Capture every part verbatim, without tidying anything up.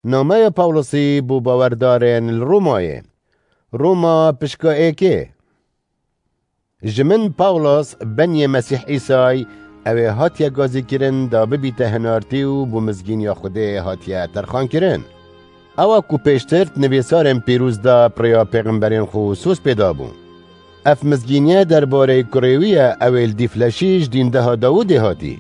Nameya Pawlosî bo bawerdarên li Romayê. Roma pişka êkê. Ji min Pawlos, beniyê Mesîh Îsay, ew ê hatiye gazîkirin da bibîte hinartî û bo mizgîniya Xwedê hatiye terxankirin. Ewa ku pêştir di nivîsarên pîroz de bi rêya pêxemberên xwe soz pê dabû. Ev mizgîniye derbarê kurê wî ye, ew ê li dîfleşî ji dîndeha Dawûdê hatî.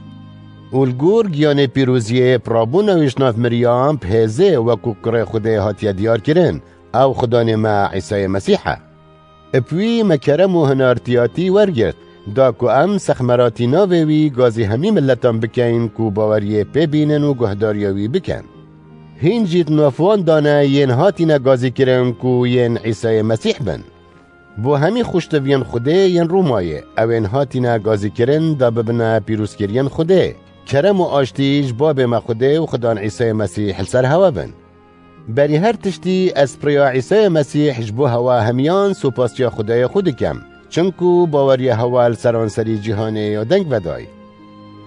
Û li gor giyanê pîroziyê bi rabûna wî ji nav miriyan bi hêzê wekû kurê Xwedê hatiye diyarkirin, ew Xudanê me Îsayê Mesîh e. Bi wî me kerem û hinartiyatî wergirt, da ku em sexmeratî navê wî gazî hemî miletan bikeyn ku baweriyê pê bînin û guhdariya wî bikin. Hîn jî di nav wan de ne yên hatine gazîkirin ku yên Îsayê Mesîh bin. Bo hemî xweştiviyên Xwedê yên Romayê, ew ên hatine gazîkirin da bibine pîrozkiriyên Xwedê. Kerem û aştî ji Babê me Xwedê û Xudan Îsayê Mesîh li ser hewe bin. Berî her tiştî ez bi rêya Îsayê Mesîh ji bo hewa hemiyan supasiya Xwedayê xwe dikim, çinku baweriya hewa li seranserî cîhanê ya deng vedayî.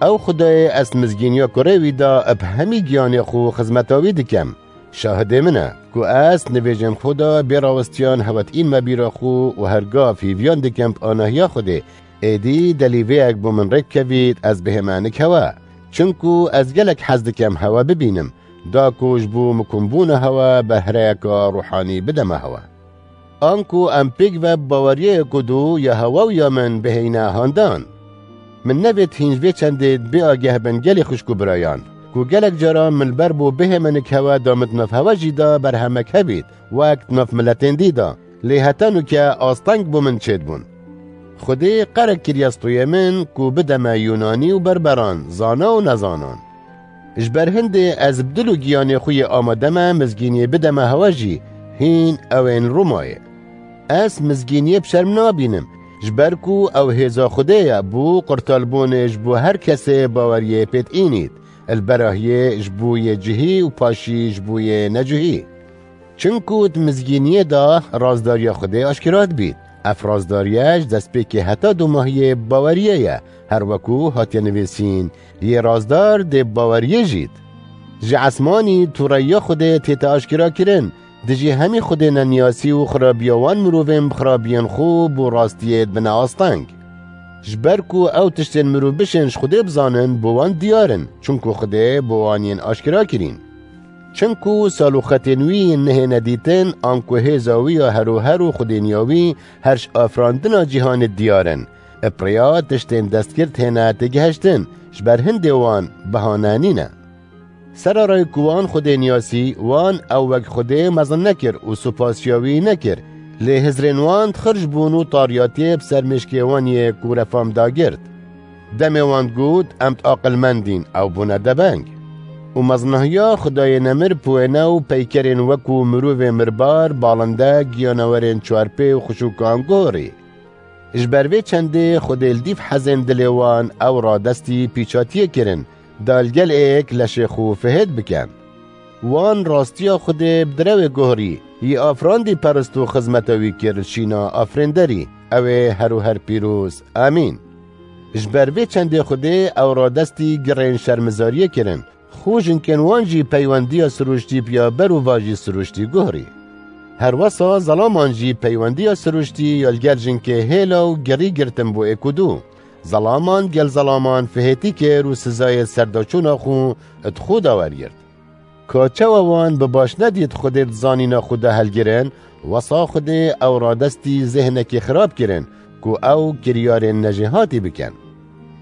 Ew Xwedayê ez mizgîniya kurê wî de bi hemî giyanê xwe xizmeta wî dikim, şahidê min e, ku ez nivêjên xwe de bê rawistiyan hewetîn me bîra xwe û her gav hîviyan dikim bi anahiya Xwedê, êdî delîvêyek bo min rêk kevît ez bihême nik hewe. Çinku ez gelek hez dikim hewe bibînim, da ku ji bo mikunbûna hewe behreyeka ruhanî bideme hewe. Anku em pêk ve bi baweriyê ku dû ya hewe û ya min bihêyne handan. Min nevêt hîn ji vê çendê bê ageh bin gelê xwişk û birayan, ku gelek caran min li ber bo bihême nik hewe da min di nav hewe jî da berhemek hebît, wek di nav miletên dî da, lê heta nûke asteng bo min çêdibûn. Xwedê qerek kiriye stûyê min ku bideme Yûnanî û berberan, zana û nezanan. Ji ber hindê ez bi dil û giyanê xwe yê amade me mizgîniyê bideme hewe jî, hîn ew ên Romayê. Ez mizgîniyê bi şerm nabînim, ji ber ku ew hêza Xwedê ye bo qurtalbûnê ji bo her kesê baweriyê pê diînît, li berahiyê ji bo yê cihî û paşî ji bo yê necihî. Çinku di mizgîniyê de razdariya Xwedê aşkera dibît. Ev razdariye ji destpêkê heta domahiyê bi baweriyê ye, her weku hatiye nivîsîn, yê razdar dê bi baweriyê jît. Ji esmanî tûreyiya Xwedê tête aşkera kirin, dijî hemî Xwedê neniyasî û xirabiya wan mirovên bi xirabiyên xwe bo rastiyê dibine asteng. Ji ber ku ew tiştên mirov bişên ji Xwedê bizanin, bo wan diyar in, çinku Xwedê bo wan yên aşkera kirîn. Çinku sal û xetên wî nihêne dîtin, anku hêza wî ya her û her û xwedêniya wî her ji afirandina cîhanê diyar in. Bi rêya tiştên destgirt hêne têgihiştin, ji ber hindê wan behane nîne. Sera rê ku wan Xwedê niyasî, wan ew wek Xwedê mezin nekir û supasiya wî nekir, lê hizrên wan dixirj bûn û tariyatiyê bi ser mêşkê wan yê ku refam dagirt. Demê wan got, em aqilmendîn, ew bûne debeng. Û mezinahiya Xwedayê nemir bi wêne û peykerên wekû mirovê mirbar, balinde, giyanawerên çarpê û xişûkan guhorî. Ji ber vê çendê Xwedê li dîv hezên dilê wan ew radestî pîçatiyê kirin, da li gel êk leşê xwe fihêt bikin. Wan rastiya Xwedê bi direwê guhorî, yî afirandî perist û xizmeta wî kir li şîna afirênderî, ew ê her û her pîroz. Amîn. Ji ber vê çendê Xwedê ew radestî girên şermizariyê kirin, xû jinkên wan jî peywendiya sirûştî piya ber û vajî sirûştî guhorî. Her wesa zelaman jî peywendiya sirûştî ya li gel jinkê hêla û girî girtin bo êk û du. Zelaman gel zelaman fihêtî kir û sizayê serdaçûna xwe di xwe de wergirt. Ka çawa wan bi baş nedît Xwedê di zanîna xwe de helgirin, wesa Xwedê ew radestî zêhnekî xirab kirin, ku ew kiryarên nejêhatî bikin.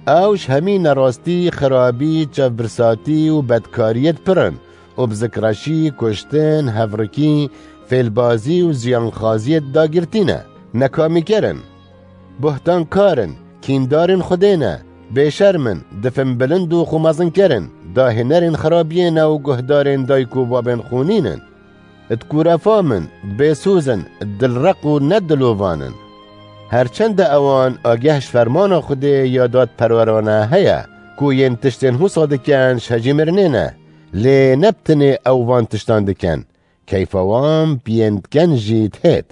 Ew ji hemî nerastî, xirabî, çavbirsatî û bedkariyê pir in û bi zikreşî, kuştin, hevrikî, fêlbazî û ziyanxaziyê dagirtî ne, nekamîker in. Buhtankar in, kîndarên Xwedê ne, bêşerm in, difin bilind û xwe mezinker in, dahênerên xirabiyê ne û guhdarên dayik û babên xwe nînin. Di kûrefam in, bêsoz in, dilreq û nedilovan in. Her çende ewan ageh ji fermana Xwedê ya dadperwerane heye, ku yên tiştên wisa dikin ji hecî mirinê ne, lê ne bi tinê ew van tiştan dikin, keyfa wan bi yên dikin jî dihêt.